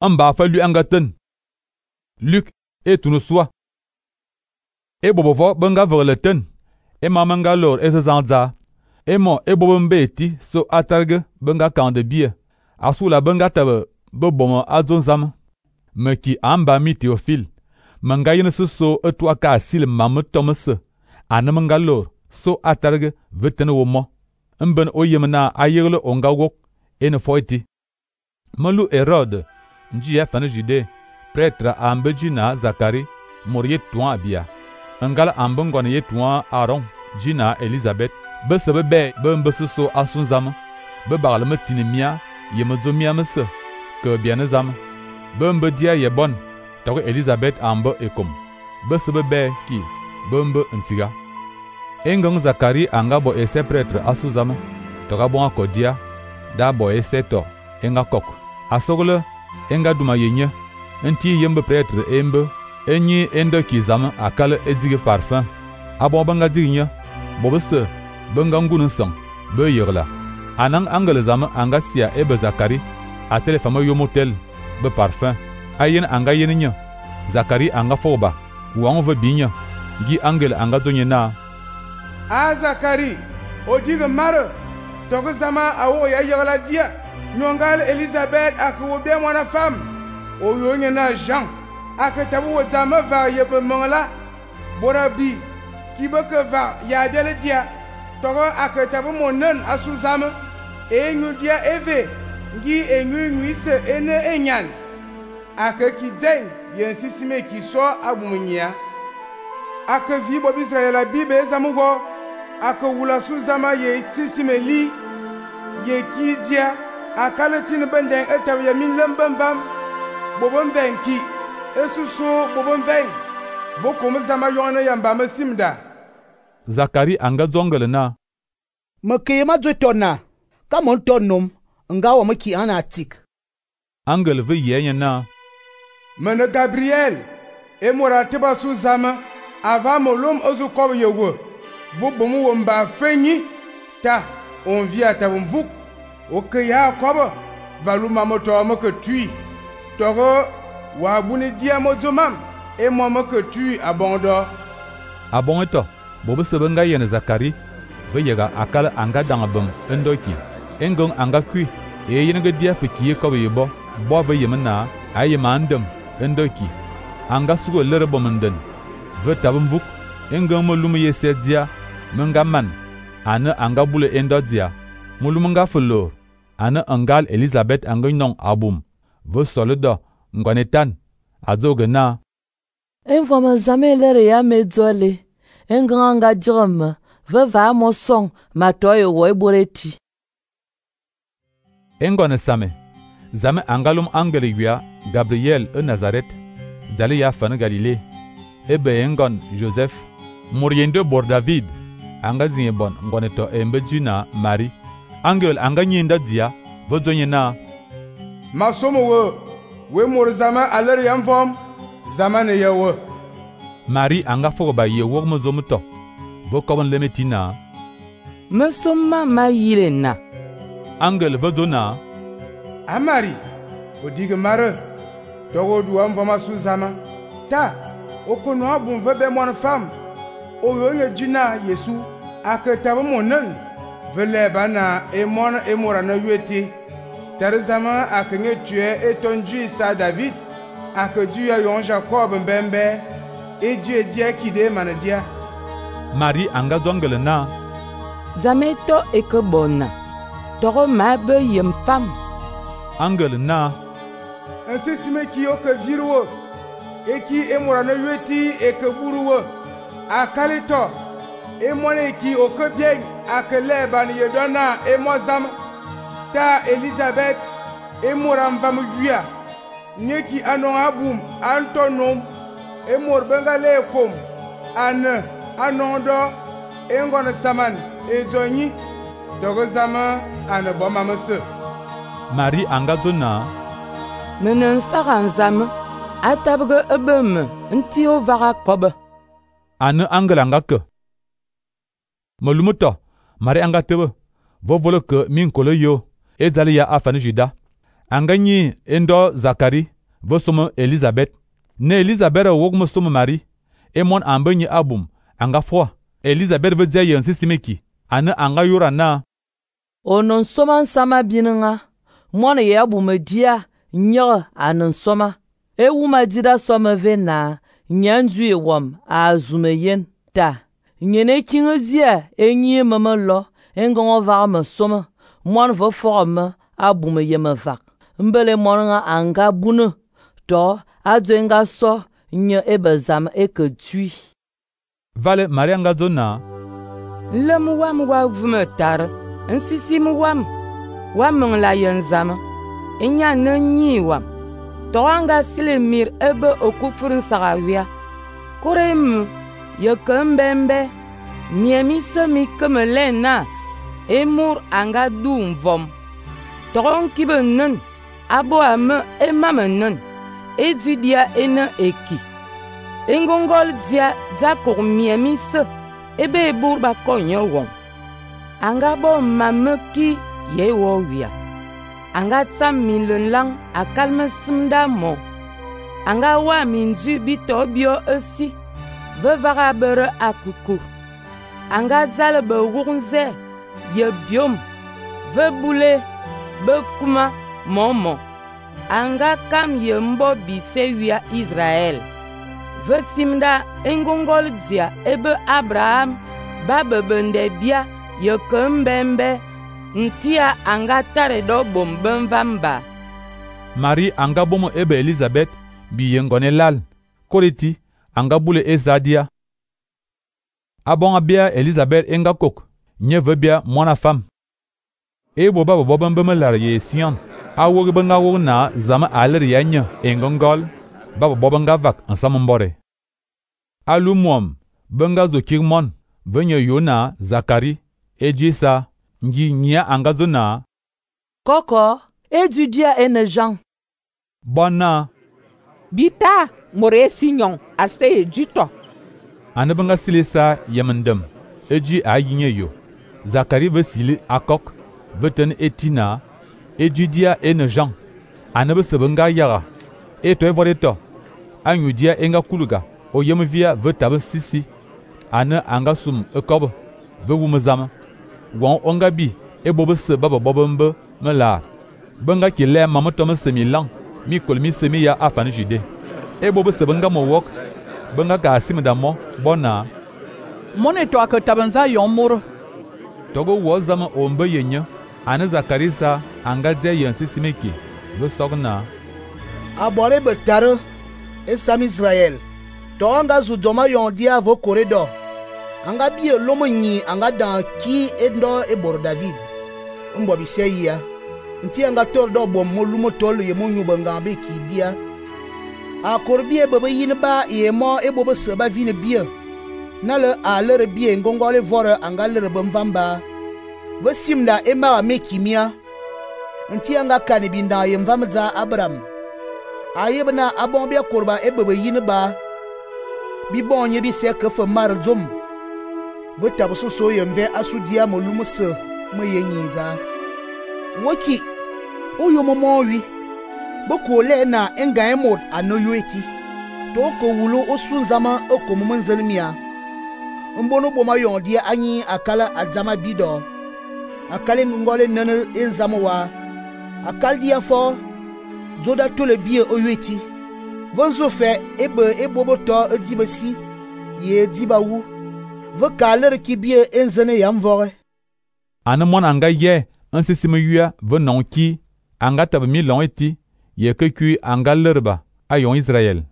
Mba fa lui angaten. Luc et tunu soi. E bobovo benga verleten. E mamanga lor e zanza. E mo e bobombe eti so atarge benga kande bie. Asula benga tabe bebomo azonzam. Meki amba mi Théophile. Manga yin so etwa ka asil mamu tomese. Anamenga lor so atarge vetene womo. Mben oyemna ayerle onga wok ene foiti. Melu Herode nji ya fane Jude prêtre ambejina Zakari morie tuan abia. Ngala ambengone ye tuan Aaron jina Elizabeth be sebe be mbese asunzam be bagle metini mia ye mezomia mese ke biane zam be mbe dia ye bon to Elizabeth ambe ekom be sebe be ki be mbe ntiga engong Zakari anga bo ese prêtre asuzam to ga bon akodia da bo ese to enga kok asogle enga duma yenye nti yembe prêtre embe enyi endo kizam akal edige parfum abo banga digne bobese benga ngunu sang be yerla anang angele zam anga sia ebe Zakari a telefama yomotel be parfum ayen anga yeninya Zakari anga foba wang ve binya gi angel anga zonyena a Zakari odige mare togo zama awo ya yerla dia nyongal Elizabeth akwo be mwana femme oyo na Jean akatabu wotama va yebe mongla borabi kibeke va ya dele dia togo akatabu monen asuzama enyu dia eve ngi enyu nwise ene enyan akaki den yensisime ki so abumunya akavi bob Israel bibe zamugo akawula suzama ye tisime li ye kidia akaletin benden etaw ya min lembam bobon venki esusu bobon ven bokom zama yona yamba masimda Zakari anga zongele na meke ma zotona kamon tonnom nga wa maki ana tik angel ve yenya na mena Gabriel e morate ba suzama ava molom ozu kob yewo vo bomu womba fenyi ta on via ta vuk o ke ya kob valuma moto mo ke tui togo wa buni dia mozomam e mo mo ke tui abondo abonto bobe sebenga yene Zakari ve yega akala anga dangabem endoki engong anga kui e yenga dia fiki kob yebo bo ve yemna ayemandem endoki anga sugo lere bomenden ve tabum vuk engong molum yesedia menga man ana anga bule endodia mulum nga felo ana angal Elizabeth anga non abum ve solido ngwanetan azogena envoma zamelere ya medzole enganga jom ve va mo song matoyo wo eboreti engone same zame angalum angele wia Gabriel e Nazareth zali ya fan Galilée ebe engon Joseph muriende bor David anga zinbon ngone to embejina Marie angel anga nyinda dia vodonyena masomo we mor zama aler yamvom zamane yawo Marie anga foba ye wogmo zomuto vokobon lemetina mesoma mayirena angel vodona amari odige mare togo duam voma suzama ta okono abun vebe mon femme oyo jina Yesu aketabo monen vele bana e mon e morana yueti tarzama akenye tue etonju sa David akedu ya yon Jacob mbembe eje dia kide manadia Marie anga zongele na zameto ekebona togo mabe yem femme angel na ensesime ki o ke virwo eki emorana yueti ekeburuwo akalito emone ki o ke bien akele ban yedona emozam ta Elizabeth emoram vam wia nyeki anon abum antonom emor bengale kom anondo engona saman ezonyi dogo zama anaboma mase Marie anga zona menen sagan zam atabge ebem ntio vaga kobe ane angel anga ke molumuto Marie anga tebe vovolo ke min kolo yo ezali ya afane Juda anga nyi endo Zakari ve som Elisabeth. Ne Elisabeth wog mo som Marie e mon ambe nyi abum anga froid. Elisabeth ve dia yen sisimeki ana anga yura na. Onon soma sama bininga. Mon ye abum dia nyer anon soma. E wuma dida soma ve na nyanzu e wom a zume yen ta. Nyene kingezia e nyi mama lo engongo va me soma. Mon ve forme abum ye me vak. Mbele monanga anga bunu to adwenga so nye ebezam eke tui. Vale Maria nga zona. Lem wam wa vume tar, nsisim wam la yenzam, enya ne nyi wam. To anga silemir ebe okufurun sagawia. Kurem ye kembembe, miemi semi kemelena, emur anga dumvom. Toron kibe nun, abo ame emame nun, edudia ene eki. Engongol dia zakor miemi se, ebe burba konyo won. Anga bo mame ki ye wo wia. Anga tsam min lun lang akalme simda mo. Anga wa min du bito bio esi, ve vaga bere akuku. Anga zale be wurunze, ye biom, ve boule, be kuma momo. Anga kam ye mbo bise wia Israel. Ve simda engongol dia ebe Abraham, babe bende bia, ye kembembe, ntia anga tare do bomben vamba. Marie anga bomo ebe Elisabeth bi yengone lal. Koreti anga bule ezadia. Abonga bia Elisabeth enga kok. Nye ve bia mwana fam. Ebo baba boben bemelar ye Sion. Awog benga wog na zama aler ya nye engongol. Baba bobenga vak ansam mbore. Alu mwom benga zo kirmon. Venye Yona Zakari ejisa ngi nya anga zona. Koko edudia ene Jean. Bona. Bita more sinyon ase jito. Ane benga silisa yemendem. Eji ayinye yo. Zakari ve sili akok. Veten etina. Ejudia ene Jean. Ane be sebenga yaga. Eto evoreto. Anyudia enga kuluga. O yemvia ve tabe sisi. Ane anga sum ekob. Ve wumezama. Wan onga bi. Ebobe se baba bobembe me la. Benga ki le mamoto semi lang. Mi kolmi semi ya afan jide. Ebobe se benga mo wok. Benga ka asim da mo. Bona. Mone to akatabanza yomur. Togo wo zama ombe yenye. Ane Zakarisa anga dia yensi simeki. Ve sogna. Abore betare esam Israel. To anga zudoma yondia vo corridor. Anga bie lomo nyi anga dan ki endo ebor David. Mbo biseya. Nti anga tor do bom molumo tol ye monyu banga be ki bia. A korbie bebe yin ba ye mo ebo se ba vine bia. Na le a le bie ngongole vore anga le bemvamba. Ve simda ema me kimia. Nti anga kani binda ye mvamza Abraham. Ayebna abombia korba ebebe yin ba. Bi bonye bi se ke fe mar zom. Ve tabso so yemve asudia molumo se me yenyiza. Woki oyo momo wi. Boko le na enga emod anoyoeti. To ko wulo osunzama okomo nzelmia. Mbono boma yondia anyi akala adzama bido. Akale ngole nene enzamwa. Akaldia fo zoda tole bie oyoeti. Vonzo fe ebe eboboto edibesi ye dibawu. Ve kaler ki bie enzene yamvore. Ane mon anga ye ansisime yua ve non ki anga tabe mi long eti ye ke kui anga lerba ayon Israel.